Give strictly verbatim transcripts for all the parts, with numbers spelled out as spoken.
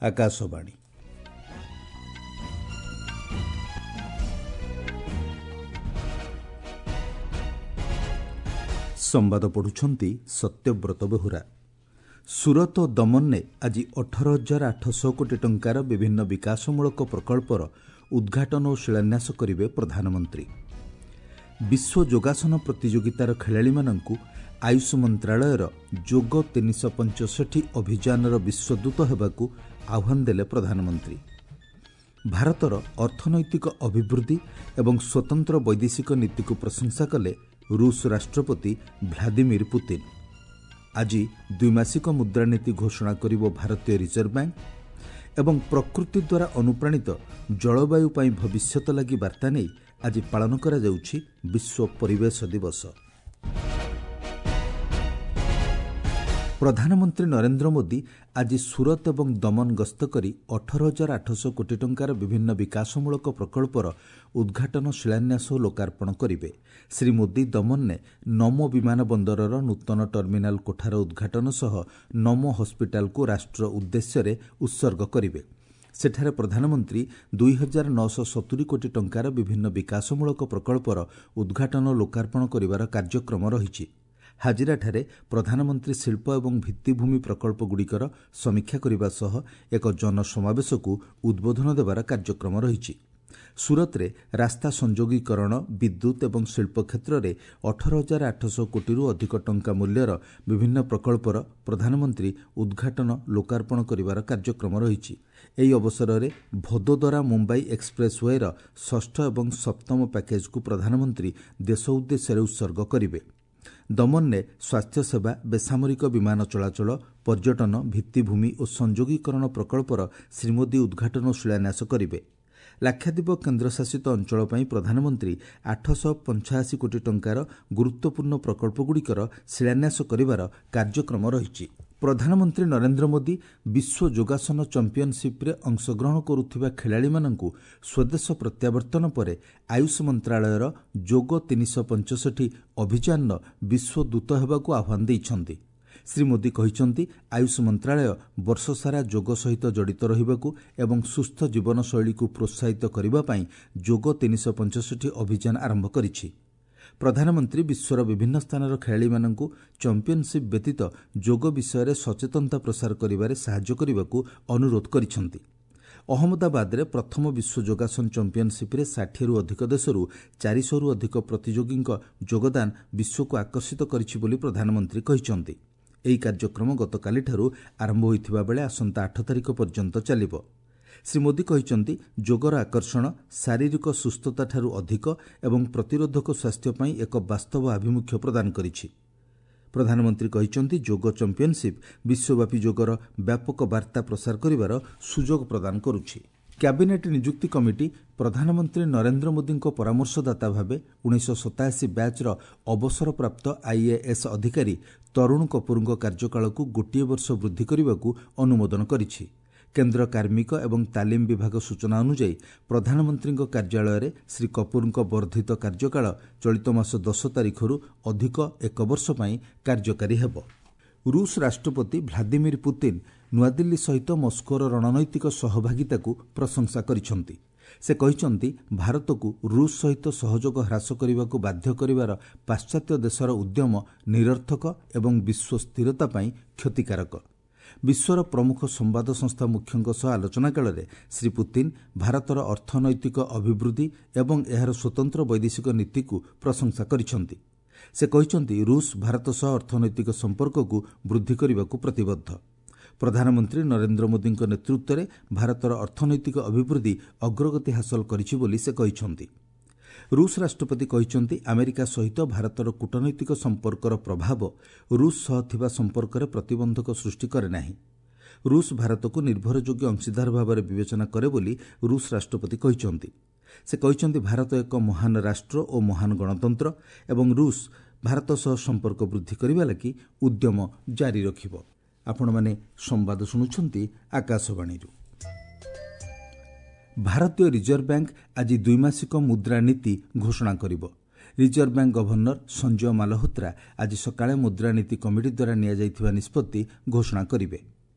ଆକାଶବାଣୀ। ସମ୍ବାଦ ପଢ଼ୁଛନ୍ତି ସତ୍ୟବ୍ରତ ବେହୁରା। ସୁରତ ଓ ଦମନରେ ଆଜି ଅଠର ହଜାର ଆଠଶହ କୋଟି ଟଙ୍କାର ବିଭିନ୍ନ ବିକାଶମୂଳକ ପ୍ରକଳ୍ପର ଉଦ୍ଘାଟନ ଓ ଶିଳାନ୍ୟାସ କରିବେ ପ୍ରଧାନମନ୍ତ୍ରୀ। ବିଶ୍ୱ ଯୋଗାସନ ପ୍ରତିଯୋଗିତାର ଖେଳାଳିମାନଙ୍କୁ ଆୟୁଷ ମନ୍ତ୍ରାଳୟର ଯୋଗ ତିନିଶହ ପଞ୍ଚଷଠି ଅଭିଯାନର ବିଶ୍ୱଦୂତ ହେବାକୁ ଆହ୍ୱାନ ଦେଲେ ପ୍ରଧାନମନ୍ତ୍ରୀ। ଭାରତର ଅର୍ଥନୈତିକ ଅଭିବୃଦ୍ଧି ଏବଂ ସ୍ୱତନ୍ତ୍ର ବୈଦେଶିକ ନୀତିକୁ ପ୍ରଶଂସା କଲେ ରୁଷ ରାଷ୍ଟ୍ରପତି ଭ୍ଲାଦିମିର ପୁତିନ। ଆଜି ଦ୍ୱିମାସିକ ମୁଦ୍ରାନୀତି ଘୋଷଣା କରିବ ଭାରତୀୟ ରିଜର୍ଭ ବ୍ୟାଙ୍କ ଏବଂ ପ୍ରକୃତି ଦ୍ୱାରା ଅନୁପ୍ରାଣିତ ଜଳବାୟୁ ପାଇଁ ଭବିଷ୍ୟତ ଲାଗି ବାର୍ତ୍ତା ନେଇ ଆଜି ପାଳନ କରାଯାଉଛି ବିଶ୍ୱ ପରିବେଶ ଦିବସ। ପ୍ରଧାନମନ୍ତ୍ରୀ ନରେନ୍ଦ୍ର ମୋଦି ଆଜି ସୁରତ ଏବଂ ଦମନ ଗସ୍ତ କରି ଅଠର ହଜାର ଆଠଶହ କୋଟି ଟଙ୍କାର ବିଭିନ୍ନ ବିକାଶମୂଳକ ପ୍ରକଳ୍ପର ଉଦ୍ଘାଟନ, ଶିଳାନ୍ୟାସ ଓ ଲୋକାର୍ପଣ କରିବେ। ଶ୍ରୀ ମୋଦି ଦମନରେ ନମୋ ବିମାନ ବନ୍ଦରର ନୂତନ ଟର୍ମିନାଲ କୋଠାର ଉଦ୍ଘାଟନ ସହ ନମୋ ହସ୍ପିଟାଲକୁ ରାଷ୍ଟ୍ର ଉଦ୍ଦେଶ୍ୟରେ ଉତ୍ସର୍ଗ କରିବେ। ସେଠାରେ ପ୍ରଧାନମନ୍ତ୍ରୀ ଦୁଇ ହଜାର ନଅଶହ ସତୁରି କୋଟି ଟଙ୍କାର ବିଭିନ୍ନ ବିକାଶମୂଳକ ପ୍ରକଳ୍ପର ଉଦ୍ଘାଟନ ଓ ଲୋକାର୍ପଣ କରିବାର କାର୍ଯ୍ୟକ୍ରମ ରହିଛି। ହାଜିରାଠାରେ ପ୍ରଧାନମନ୍ତ୍ରୀ ଶିଳ୍ପ ଏବଂ ଭିତ୍ତିଭୂମି ପ୍ରକଳ୍ପଗୁଡ଼ିକର ସମୀକ୍ଷା କରିବା ସହ ଏକ ଜନସମାବେଶକୁ ଉଦ୍ବୋଧନ ଦେବାର କାର୍ଯ୍ୟକ୍ରମ ରହିଛି। ସୁରତରେ ରାସ୍ତା ସଂଯୋଗୀକରଣ, ବିଦ୍ୟୁତ୍ ଏବଂ ଶିଳ୍ପ କ୍ଷେତ୍ରରେ ଅଠର ହଜାର ଆଠଶହ କୋଟିରୁ ଅଧିକ ଟଙ୍କା ମୂଲ୍ୟର ବିଭିନ୍ନ ପ୍ରକଳ୍ପର ପ୍ରଧାନମନ୍ତ୍ରୀ ଉଦ୍ଘାଟନ, ଲୋକାର୍ପଣ କରିବାର କାର୍ଯ୍ୟକ୍ରମ ରହିଛି। ଏହି ଅବସରରେ ଭଦୋଦରା ମୁମ୍ବାଇ ଏକ୍ସପ୍ରେସ୍ ୱେର ଷଷ୍ଠ ଏବଂ ସପ୍ତମ ପ୍ୟାକେଜ୍କୁ ପ୍ରଧାନମନ୍ତ୍ରୀ ଦେଶ ଉଦ୍ଦେଶ୍ୟରେ ଉତ୍ସର୍ଗ କରିବେ। ଦମନରେ ସ୍ୱାସ୍ଥ୍ୟସେବା, ବେସାମରିକ ବିମାନ ଚଳାଚଳ, ପର୍ଯ୍ୟଟନ, ଭିତ୍ତିଭୂମି ଓ ସଂଯୋଗୀକରଣ ପ୍ରକଳ୍ପର ଶ୍ରୀ ମୋଦି ଉଦ୍ଘାଟନ ଓ ଶିଳାନ୍ୟାସ କରିବେ। ଲାକ୍ଷାଦ୍ୱୀପ କେନ୍ଦ୍ରଶାସିତ ଅଞ୍ଚଳ ପାଇଁ ପ୍ରଧାନମନ୍ତ୍ରୀ ଆଠଶହ ପଞ୍ଚାଅଶୀ କୋଟି ଟଙ୍କାର ଗୁରୁତ୍ୱପୂର୍ଣ୍ଣ ପ୍ରକଳ୍ପଗୁଡ଼ିକର ଶିଳାନ୍ୟାସ କରିବାର କାର୍ଯ୍ୟକ୍ରମ ରହିଛି। ପ୍ରଧାନମନ୍ତ୍ରୀ ନରେନ୍ଦ୍ର ମୋଦି ବିଶ୍ୱ ଯୋଗାସନ ଚାମ୍ପିୟନସିପ୍ରେ ଅଂଶଗ୍ରହଣ କରୁଥିବା ଖେଳାଳିମାନଙ୍କୁ ସ୍ୱଦେଶ ପ୍ରତ୍ୟାବର୍ତ୍ତନ ପରେ ଆୟୁଷ ମନ୍ତ୍ରାଳୟର ଯୋଗ ତିନିଶହ ପଞ୍ଚଷଠି ଅଭିଯାନର ବିଶ୍ୱଦୂତ ହେବାକୁ ଆହ୍ୱାନ ଦେଇଛନ୍ତି। ଶ୍ରୀ ମୋଦି କହିଛନ୍ତି, ଆୟୁଷ ମନ୍ତ୍ରାଳୟ ବର୍ଷସାରା ଯୋଗ ସହିତ ଜଡ଼ିତ ରହିବାକୁ ଏବଂ ସୁସ୍ଥ ଜୀବନଶୈଳୀକୁ ପ୍ରୋତ୍ସାହିତ କରିବା ପାଇଁ ଯୋଗ ତିନିଶହ ପଞ୍ଚଷଠି ଅଭିଯାନ ଆରମ୍ଭ କରିଛି। ପ୍ରଧାନମନ୍ତ୍ରୀ ବିଶ୍ୱର ବିଭିନ୍ନ ସ୍ଥାନର ଖେଳାଳିମାନଙ୍କୁ ଚାମ୍ପିୟନସିପ୍ ବ୍ୟତୀତ ଯୋଗ ବିଷୟରେ ସଚେତନତା ପ୍ରସାର କରିବାରେ ସାହାଯ୍ୟ କରିବାକୁ ଅନୁରୋଧ କରିଛନ୍ତି। ଅହମ୍ମଦାବାଦରେ ପ୍ରଥମ ବିଶ୍ୱ ଯୋଗାସନ ଚାମ୍ପିୟନସିପ୍ରେ ଷାଠିଏରୁ ଅଧିକ ଦେଶରୁ ଚାରିଶହରୁ ଅଧିକ ପ୍ରତିଯୋଗୀଙ୍କ ଯୋଗଦାନ ବିଶ୍ୱକୁ ଆକର୍ଷିତ କରିଛି ବୋଲି ପ୍ରଧାନମନ୍ତ୍ରୀ କହିଛନ୍ତି। ଏହି କାର୍ଯ୍ୟକ୍ରମ ଗତକାଲିଠାରୁ ଆରମ୍ଭ ହୋଇଥିବା ବେଳେ ଆସନ୍ତା ଆଠ ତାରିଖ ପର୍ଯ୍ୟନ୍ତ ଚାଲିବ। ଶ୍ରୀ ମୋଦି କହିଛନ୍ତି, ଯୋଗର ଆକର୍ଷଣ ଶାରୀରିକ ସୁସ୍ଥତାଠାରୁ ଅଧିକ ଏବଂ ପ୍ରତିରୋଧକ ସ୍ୱାସ୍ଥ୍ୟ ପାଇଁ ଏକ ବାସ୍ତବ ଆଭିମୁଖ୍ୟ ପ୍ରଦାନ କରିଛି। ପ୍ରଧାନମନ୍ତ୍ରୀ କହିଛନ୍ତି, ଯୋଗ ଚାମ୍ପିୟନସିପ୍ ବିଶ୍ୱବ୍ୟାପୀ ଯୋଗର ବ୍ୟାପକ ବାର୍ତ୍ତା ପ୍ରସାର କରିବାର ସୁଯୋଗ ପ୍ରଦାନ କରୁଛି। କ୍ୟାବିନେଟ୍ ନିଯୁକ୍ତି କମିଟି ପ୍ରଧାନମନ୍ତ୍ରୀ ନରେନ୍ଦ୍ର ମୋଦିଙ୍କ ପରାମର୍ଶଦାତା ଭାବେ ଉଣେଇଶହ ସତାଅଶୀ ବ୍ୟାଚ୍ର ଅବସରପ୍ରାପ୍ତ ଆଇଏଏସ୍ ଅଧିକାରୀ ତରୁଣ କପୁରଙ୍କ କାର୍ଯ୍ୟକାଳକୁ ଗୋଟିଏ ବର୍ଷ ବୃଦ୍ଧି କରିବାକୁ ଅନୁମୋଦନ କରିଛି। କେନ୍ଦ୍ର କାର୍ମିକ ଏବଂ ତାଲିମ ବିଭାଗ ସୂଚନା ଅନୁଯାୟୀ ପ୍ରଧାନମନ୍ତ୍ରୀଙ୍କ କାର୍ଯ୍ୟାଳୟରେ ଶ୍ରୀ କପୁରଙ୍କ ବର୍ଦ୍ଧିତ କାର୍ଯ୍ୟକାଳ ଚଳିତ ମାସ ଦଶ ତାରିଖରୁ ଅଧିକ ଏକ ବର୍ଷ ପାଇଁ କାର୍ଯ୍ୟକାରୀ ହେବ। ରୁଷ ରାଷ୍ଟ୍ରପତି ଭ୍ଲାଦିମିର ପୁତିନ ନୂଆଦିଲ୍ଲୀ ସହିତ ମସ୍କୋର ରଣନୈତିକ ସହଭାଗିତାକୁ ପ୍ରଶଂସା କରିଛନ୍ତି। ସେ କହିଛନ୍ତି, ଭାରତକୁ ରୁଷ ସହିତ ସହଯୋଗ ହ୍ରାସ କରିବାକୁ ବାଧ୍ୟ କରିବାର ପାଶ୍ଚାତ୍ୟ ଦେଶର ଉଦ୍ୟମ ନିରର୍ଥକ ଏବଂ ବିଶ୍ୱ ସ୍ଥିରତା ପାଇଁ କ୍ଷତିକାରକ। ବିଶ୍ୱର ପ୍ରମୁଖ ସମ୍ବାଦ ସଂସ୍ଥା ମୁଖ୍ୟଙ୍କ ସହ ଆଲୋଚନା କାଳରେ ଶ୍ରୀ ପୁତିନ ଭାରତର ଅର୍ଥନୈତିକ ଅଭିବୃଦ୍ଧି ଏବଂ ଏହାର ସ୍ୱତନ୍ତ୍ର ବୈଦେଶିକ ନୀତିକୁ ପ୍ରଶଂସା କରିଛନ୍ତି। ସେ କହିଛନ୍ତି, ରୁଷ ଭାରତ ସହ ଅର୍ଥନୈତିକ ସମ୍ପର୍କକୁ ବୃଦ୍ଧି କରିବାକୁ ପ୍ରତିବଦ୍ଧ। ପ୍ରଧାନମନ୍ତ୍ରୀ ନରେନ୍ଦ୍ର ମୋଦିଙ୍କ ନେତୃତ୍ୱରେ ଭାରତର ଅର୍ଥନୈତିକ ଅଭିବୃଦ୍ଧି ଅଗ୍ରଗତି ହାସଲ କରିଛି ବୋଲି ସେ କହିଛନ୍ତି। ରୁଷ ରାଷ୍ଟ୍ରପତି କହିଛନ୍ତି, ଆମେରିକା ସହିତ ଭାରତର କୂଟନୈତିକ ସମ୍ପର୍କର ପ୍ରଭାବ ରୁଷ ସହ ଥିବା ସମ୍ପର୍କରେ ପ୍ରତିବନ୍ଧକ ସୃଷ୍ଟି କରେ ନାହିଁ। ରୁଷ ଭାରତକୁ ନିର୍ଭରଯୋଗ୍ୟ ଅଂଶୀଦାର ଭାବରେ ବିବେଚନା କରେ ବୋଲି ରୁଷ ରାଷ୍ଟ୍ରପତି କହିଛନ୍ତି। ସେ କହିଛନ୍ତି, ଭାରତ ଏକ ମହାନ ରାଷ୍ଟ୍ର ଓ ମହାନ ଗଣତନ୍ତ୍ର ଏବଂ ରୁଷ ଭାରତ ସହ ସମ୍ପର୍କ ବୃଦ୍ଧି କରିବା ଲାଗି ଉଦ୍ୟମ ଜାରି ରଖିବ। ଆପଣମାନେ ସମ୍ବାଦ ଶୁଣୁଛନ୍ତି ଆକାଶବାଣୀରୁ। ଭାରତୀୟ ରିଜର୍ଭ ବ୍ୟାଙ୍କ ଆଜି ଦ୍ୱିମାସିକ ମୁଦ୍ରାନୀତି ଘୋଷଣା କରିବ। Reserve bank governor Sanjay Malhotra ଆଜି ସକାଳେ ମୁଦ୍ରାନୀତି କମିଟି ଦ୍ୱାରା ନିଆଯାଇଥିବା ନିଷ୍ପତ୍ତି ଘୋଷଣା କରିବେ।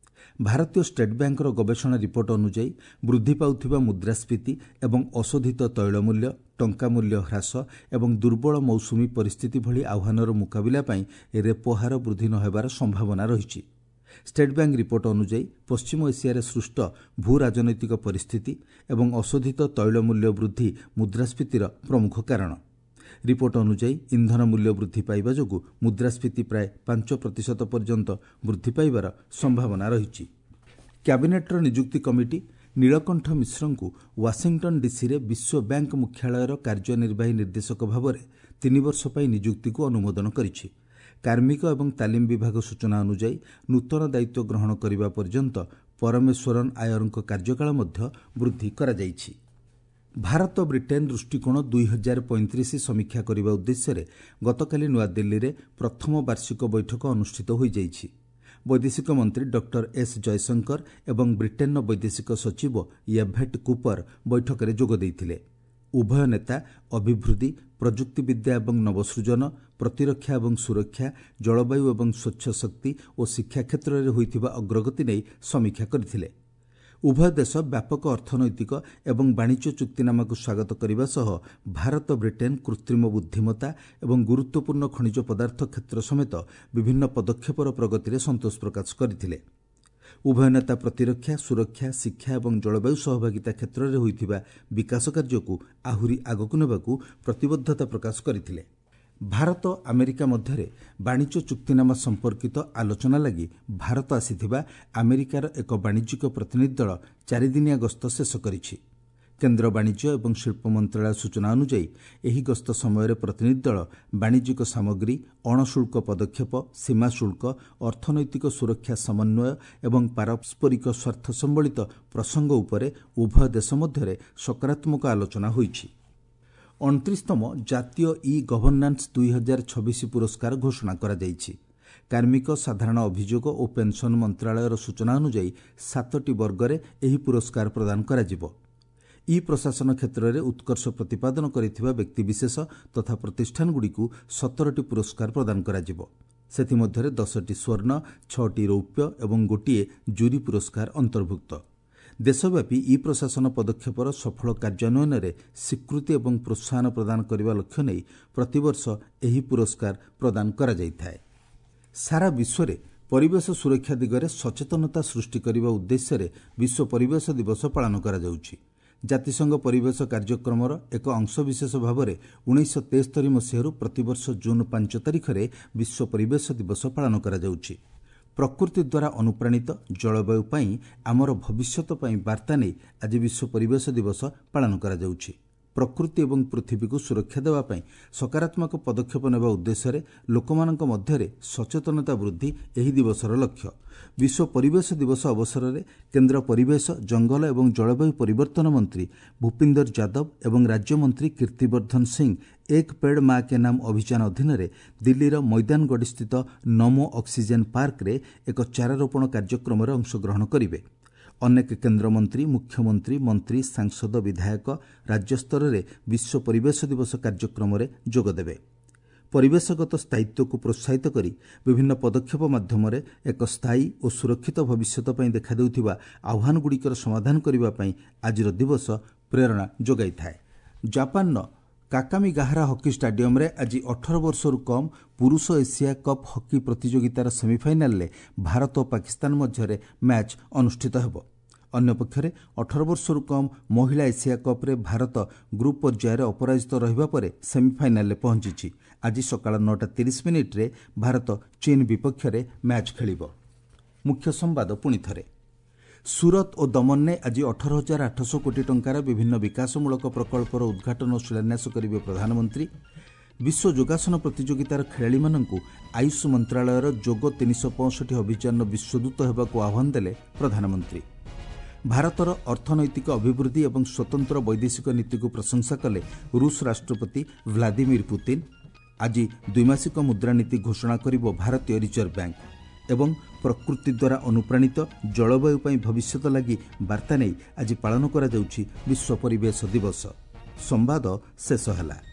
ଭାରତୀୟ ଷ୍ଟେଟ୍ ବ୍ୟାଙ୍କର ଗବେଷଣା ରିପୋର୍ଟ ଅନୁଯାୟୀ ବୃଦ୍ଧି ପାଉଥିବା ମୁଦ୍ରାସ୍ଫୀତି ଏବଂ ଅଶୋଧିତ ତୈଳ ମୂଲ୍ୟ, ଟଙ୍କା ମୂଲ୍ୟ ହ୍ରାସ ଏବଂ ଦୁର୍ବଳ ମୌସୁମୀ ପରିସ୍ଥିତି ଭଳି ଆହ୍ୱାନର ମୁକାବିଲା ପାଇଁ ରେପୋ ହାର ବୃଦ୍ଧି ନ ହେବାର ସମ୍ଭାବନା ରହିଛି। ଷ୍ଟେଟ୍ ବ୍ୟାଙ୍କ ରିପୋର୍ଟ ଅନୁଯାୟୀ ପଶ୍ଚିମ ଏସିଆରେ ସୃଷ୍ଟ ଭୂ ରାଜନୈତିକ ପରିସ୍ଥିତି ଏବଂ ଅଶୋଧିତ ତୈଳ ମୂଲ୍ୟ ବୃଦ୍ଧି ମୁଦ୍ରାସ୍ଫୀତିର ପ୍ରମୁଖ କାରଣ। ରିପୋର୍ଟ ଅନୁଯାୟୀ ଇନ୍ଧନ ମୂଲ୍ୟ ବୃଦ୍ଧି ପାଇବା ଯୋଗୁଁ ମୁଦ୍ରାସ୍ଫୀତି ପ୍ରାୟ ପାଞ୍ଚ ପ୍ରତିଶତ ପର୍ଯ୍ୟନ୍ତ ବୃଦ୍ଧି ପାଇବାର ସମ୍ଭାବନା ରହିଛି। କ୍ୟାବିନେଟ୍ର ନିଯୁକ୍ତି କମିଟି ନୀଳକଣ୍ଠ ମିଶ୍ରଙ୍କୁ ୱାଶିଂଟନ୍ ଡିସିରେ ବିଶ୍ୱ ବ୍ୟାଙ୍କ ମୁଖ୍ୟାଳୟର କାର୍ଯ୍ୟନିର୍ବାହୀ ନିର୍ଦ୍ଦେଶକ ଭାବରେ ତିନି ବର୍ଷ ପାଇଁ ନିଯୁକ୍ତିକୁ ଅନୁମୋଦନ କରିଛି। କାର୍ମିକ ଏବଂ ତାଲିମ ବିଭାଗ ସୂଚନା ଅନୁଯାୟୀ ନୂତନ ଦାୟିତ୍ୱ ଗ୍ରହଣ କରିବା ପର୍ଯ୍ୟନ୍ତ ପରମେଶ୍ୱରନ୍ ଆୟରଙ୍କ କାର୍ଯ୍ୟକାଳ ମଧ୍ୟ ବୃଦ୍ଧି କରାଯାଇଛି। ଭାରତ ବ୍ରିଟେନ୍ ଦୃଷ୍ଟିକୋଣ ଦୁଇ ହଜାର ପଇଁତିରିଶ ସମୀକ୍ଷା କରିବା ଉଦ୍ଦେଶ୍ୟରେ ଗତକାଲି ନୂଆଦିଲ୍ଲୀରେ ପ୍ରଥମ ବାର୍ଷିକ ବୈଠକ ଅନୁଷ୍ଠିତ ହୋଇଯାଇଛି। ବୈଦେଶିକ ମନ୍ତ୍ରୀ ଡକ୍ଟର ଏସ୍ ଜୟଶଙ୍କର ଏବଂ ବ୍ରିଟେନ୍ର ବୈଦେଶିକ ସଚିବ ୟେଭେଟ୍ କୁପର ବୈଠକରେ ଯୋଗ ଦେଇଥିଲେ। ଉଭୟ ନେତା ଅଭିବୃଦ୍ଧି, ପ୍ରଯୁକ୍ତିବିଦ୍ୟା ଏବଂ ନବସୃଜନ, ପ୍ରତିରକ୍ଷା ଏବଂ ସୁରକ୍ଷା, ଜଳବାୟୁ ଏବଂ ସ୍ୱଚ୍ଛ ଶକ୍ତି ଓ ଶିକ୍ଷା କ୍ଷେତ୍ରରେ ହୋଇଥିବା ଅଗ୍ରଗତି ନେଇ ସମୀକ୍ଷା କରିଥିଲେ। ଉଭୟ ଦେଶ ବ୍ୟାପକ ଅର୍ଥନୈତିକ ଏବଂ ବାଣିଜ୍ୟ ଚୁକ୍ତିନାମାକୁ ସ୍ୱାଗତ କରିବା ସହ ଭାରତ ବ୍ରିଟେନ୍ କୃତ୍ରିମ ବୁଦ୍ଧିମତ୍ତା ଏବଂ ଗୁରୁତ୍ୱପୂର୍ଣ୍ଣ ଖଣିଜ ପଦାର୍ଥ କ୍ଷେତ୍ର ସମେତ ବିଭିନ୍ନ ପଦକ୍ଷେପର ପ୍ରଗତିରେ ସନ୍ତୋଷ ପ୍ରକାଶ କରିଥିଲେ। ଉଭୟ ନେତା ପ୍ରତିରକ୍ଷା, ସୁରକ୍ଷା, ଶିକ୍ଷା ଏବଂ ଜଳବାୟୁ ସହଭାଗିତା କ୍ଷେତ୍ରରେ ହୋଇଥିବା ବିକାଶ କାର୍ଯ୍ୟକୁ ଆହୁରି ଆଗକୁ ନେବାକୁ ପ୍ରତିବଦ୍ଧତା ପ୍ରକାଶ କରିଥିଲେ। ଭାରତ ଆମେରିକା ମଧ୍ୟରେ ବାଣିଜ୍ୟ ଚୁକ୍ତିନାମା ସମ୍ପର୍କିତ ଆଲୋଚନା ଲାଗି ଭାରତ ଆସିଥିବା ଆମେରିକାର ଏକ ବାଣିଜ୍ୟିକ ପ୍ରତିନିଧି ଦଳ ଚାରିଦିନିଆ ଗସ୍ତ ଶେଷ କରିଛି। କେନ୍ଦ୍ର ବାଣିଜ୍ୟ ଏବଂ ଶିଳ୍ପ ମନ୍ତ୍ରଣାଳୟ ସୂଚନା ଅନୁଯାୟୀ ଏହି ଗସ୍ତ ସମୟରେ ପ୍ରତିନିଧି ଦଳ ବାଣିଜ୍ୟିକ ସାମଗ୍ରୀ, ଅଣଶୁଳ୍କ ପଦକ୍ଷେପ, ସୀମା ଶୁଳ୍କ, ଅର୍ଥନୈତିକ ସୁରକ୍ଷା ସମନ୍ୱୟ ଏବଂ ପାରସ୍ପରିକ ସ୍ୱାର୍ଥ ସମ୍ବଳିତ ପ୍ରସଙ୍ଗ ଉପରେ ଉଭୟ ଦେଶ ମଧ୍ୟରେ ସକାରାତ୍ମକ ଆଲୋଚନା ହୋଇଛି। ଅଣତିରିଶତମ ଜାତୀୟ ଇ ଗଭର୍ଣ୍ଣାନ୍ସ ଦୁଇ ହଜାର ଛବିଶ ପୁରସ୍କାର ଘୋଷଣା କରାଯାଇଛି। କାର୍ମିକ, ସାଧାରଣ ଅଭିଯୋଗ ଓ ପେନ୍ସନ୍ ମନ୍ତ୍ରଣାଳୟର ସୂଚନା ଅନୁଯାୟୀ ସାତଟି ବର୍ଗରେ ଏହି ପୁରସ୍କାର ପ୍ରଦାନ କରାଯିବ। ଇ ପ୍ରଶାସନ କ୍ଷେତ୍ରରେ ଉତ୍କର୍ଷ ପ୍ରତିପାଦନ କରିଥିବା ବ୍ୟକ୍ତିବିଶେଷ ତଥା ପ୍ରତିଷ୍ଠାନଗୁଡ଼ିକୁ ସତରଟି ପୁରସ୍କାର ପ୍ରଦାନ କରାଯିବ। ସେଥିମଧ୍ୟରେ ଦଶଟି ସ୍ୱର୍ଣ୍ଣ, ଛଅଟି ରୌପ୍ୟ ଏବଂ ଗୋଟିଏ ଜୁରି ପୁରସ୍କାର ଅନ୍ତର୍ଭୁକ୍ତ। ଦେଶବ୍ୟାପୀ ଇ ପ୍ରଶାସନ ପଦକ୍ଷେପର ସଫଳ କାର୍ଯ୍ୟାନ୍ୱୟନରେ ସ୍ୱୀକୃତି ଏବଂ ପ୍ରୋତ୍ସାହନ ପ୍ରଦାନ କରିବା ଲକ୍ଷ୍ୟ ନେଇ ପ୍ରତିବର୍ଷ ଏହି ପୁରସ୍କାର ପ୍ରଦାନ କରାଯାଇଥାଏ। ସାରା ବିଶ୍ୱରେ ପରିବେଶ ସୁରକ୍ଷା ଦିଗରେ ସଚେତନତା ସୃଷ୍ଟି କରିବା ଉଦ୍ଦେଶ୍ୟରେ ବିଶ୍ୱ ପରିବେଶ ଦିବସ ପାଳନ କରାଯାଉଛି। ଜାତିସଂଘ ପରିବେଶ କାର୍ଯ୍ୟକ୍ରମର ଏକ ଅଂଶବିଶେଷ ଭାବରେ ଉଣେଇଶହ ତେସ୍ତରୀ ମସିହାରୁ ପ୍ରତିବର୍ଷ ଜୁନ୍ ପାଞ୍ଚ ତାରିଖରେ ବିଶ୍ୱ ପରିବେଶ ଦିବସ ପାଳନ କରାଯାଉଛି। ପ୍ରକୃତି ଦ୍ୱାରା ଅନୁପ୍ରାଣିତ ଜଳବାୟୁ ପାଇଁ ଆମର ଭବିଷ୍ୟତ ପାଇଁ ବାର୍ତ୍ତା ନେଇ ଆଜି ବିଶ୍ୱ ପରିବେଶ ଦିବସ ପାଳନ କରାଯାଉଛି। ପ୍ରକୃତି ଏବଂ ପୃଥିବୀକୁ ସୁରକ୍ଷା ଦେବା ପାଇଁ ସକାରାତ୍ମକ ପଦକ୍ଷେପ ନେବା ଉଦ୍ଦେଶ୍ୟରେ ଲୋକମାନଙ୍କ ମଧ୍ୟରେ ସଚେତନତା ବୃଦ୍ଧି ଏହି ଦିବସର ଲକ୍ଷ୍ୟ। ବିଶ୍ୱ ପରିବେଶ ଦିବସ ଅବସରରେ କେନ୍ଦ୍ର ପରିବେଶ, ଜଙ୍ଗଲ ଏବଂ ଜଳବାୟୁ ପରିବର୍ତ୍ତନ ମନ୍ତ୍ରୀ ଭୂପିନ୍ଦର ଯାଦବ ଏବଂ ରାଜ୍ୟମନ୍ତ୍ରୀ କୀର୍ତ୍ତିବର୍ଦ୍ଧନ ସିଂ ଏକ ପେଡ୍ ମା କେ ନାମ ଅଭିଯାନ ଅଧୀନରେ ଦିଲ୍ଲୀର ମୈଦାନଗଡ଼ିସ୍ଥିତ ନମୋ ଅକ୍ସିଜେନ୍ ପାର୍କରେ ଏକ ଚାରାରୋପଣ କାର୍ଯ୍ୟକ୍ରମରେ ଅଂଶଗ୍ରହଣ କରିବେ। ଅନେକ କେନ୍ଦ୍ରମନ୍ତ୍ରୀ, ମୁଖ୍ୟମନ୍ତ୍ରୀ, ମନ୍ତ୍ରୀ, ସାଂସଦ, ବିଧାୟକ ରାଜ୍ୟସ୍ତରରେ ବିଶ୍ୱ ପରିବେଶ ଦିବସ କାର୍ଯ୍ୟକ୍ରମରେ ଯୋଗଦେବେ। ପରିବେଶଗତ ସ୍ଥାୟିତ୍ୱକୁ ପ୍ରୋତ୍ସାହିତ କରି ବିଭିନ୍ନ ପଦକ୍ଷେପ ମାଧ୍ୟମରେ ଏକ ସ୍ଥାୟୀ ଓ ସୁରକ୍ଷିତ ଭବିଷ୍ୟତ ପାଇଁ ଦେଖାଦେଉଥିବା ଆହ୍ୱାନଗୁଡ଼ିକର ସମାଧାନ କରିବା ପାଇଁ ଆଜିର ଦିବସ ପ୍ରେରଣା ଯୋଗାଇଥାଏ। ଜାପାନର କାକାମିଗାହାରା ହକି ଷ୍ଟାଡିୟମରେ ଆଜି ଅଠର ବର୍ଷରୁ କମ୍ ପୁରୁଷ ଏସିଆ କପ୍ ହକି ପ୍ରତିଯୋଗିତାର ସେମିଫାଇନାଲରେ ଭାରତ ଓ ପାକିସ୍ତାନ ମଧ୍ୟରେ ମ୍ୟାଚ୍ ଅନୁଷ୍ଠିତ ହେବ। ଅନ୍ୟପକ୍ଷରେ ଅଠର ବର୍ଷରୁ କମ୍ ମହିଳା ଏସିଆ କପ୍ରେ ଭାରତ ଗ୍ରୁପ୍ ପର୍ଯ୍ୟାୟରେ ଅପରାଜିତ ରହିବା ପରେ ସେମିଫାଇନାଲରେ ପହଞ୍ଚିଛି। ଆଜି ସକାଳ ନଅଟା ତିରିଶ ମିନିଟ୍ରେ ଭାରତ ଚୀନ୍ ବିପକ୍ଷରେ ମ୍ୟାଚ୍ ଖେଳିବ। ମୁଖ୍ୟ ସମ୍ବାଦ ପୁଣିଥରେ। ସୁରତ ଓ ଦମନରେ ଆଜି ଅଠର ହଜାର ଆଠଶହ କୋଟି ଟଙ୍କାର ବିଭିନ୍ନ ବିକାଶମୂଳକ ପ୍ରକଳ୍ପର ଉଦ୍ଘାଟନ ଓ ଶିଳାନ୍ୟାସ କରିବେ ପ୍ରଧାନମନ୍ତ୍ରୀ। ବିଶ୍ୱ ଯୋଗାସନ ପ୍ରତିଯୋଗିତାର ଖେଳାଳିମାନଙ୍କୁ ଆୟୁଷ ମନ୍ତ୍ରଣାଳୟର ଯୋଗ ତିନିଶହ ପଞ୍ଚଷଠି ଅଭିଯାନର ବିଶ୍ୱଦୂତ ହେବାକୁ ଆହ୍ୱାନ ଦେଲେ ପ୍ରଧାନମନ୍ତ୍ରୀ। ଭାରତର ଅର୍ଥନୈତିକ ଅଭିବୃଦ୍ଧି ଏବଂ ସ୍ୱତନ୍ତ୍ର ବୈଦେଶିକ ନୀତିକୁ ପ୍ରଶଂସା କଲେ ରୁଷ ରାଷ୍ଟ୍ରପତି ଭ୍ଲାଦିମିର ପୁତିନ୍। ଆଜି ଦ୍ୱିମାସିକ ମୁଦ୍ରାନୀତି ଘୋଷଣା କରିବ ଭାରତୀୟ ରିଜର୍ଭ ବ୍ୟାଙ୍କ। ଏବଂ ପ୍ରକୃତି ଦ୍ୱାରା ଅନୁପ୍ରାଣିତ ଜଳବାୟୁ ପାଇଁ ଭବିଷ୍ୟତ ଲାଗି ବାର୍ତ୍ତା ନେଇ ଆଜି ପାଳନ କରାଯାଉଛି ବିଶ୍ୱ ପରିବେଶ ଦିବସ। ସମ୍ବାଦ ଶେଷ ହେଲା।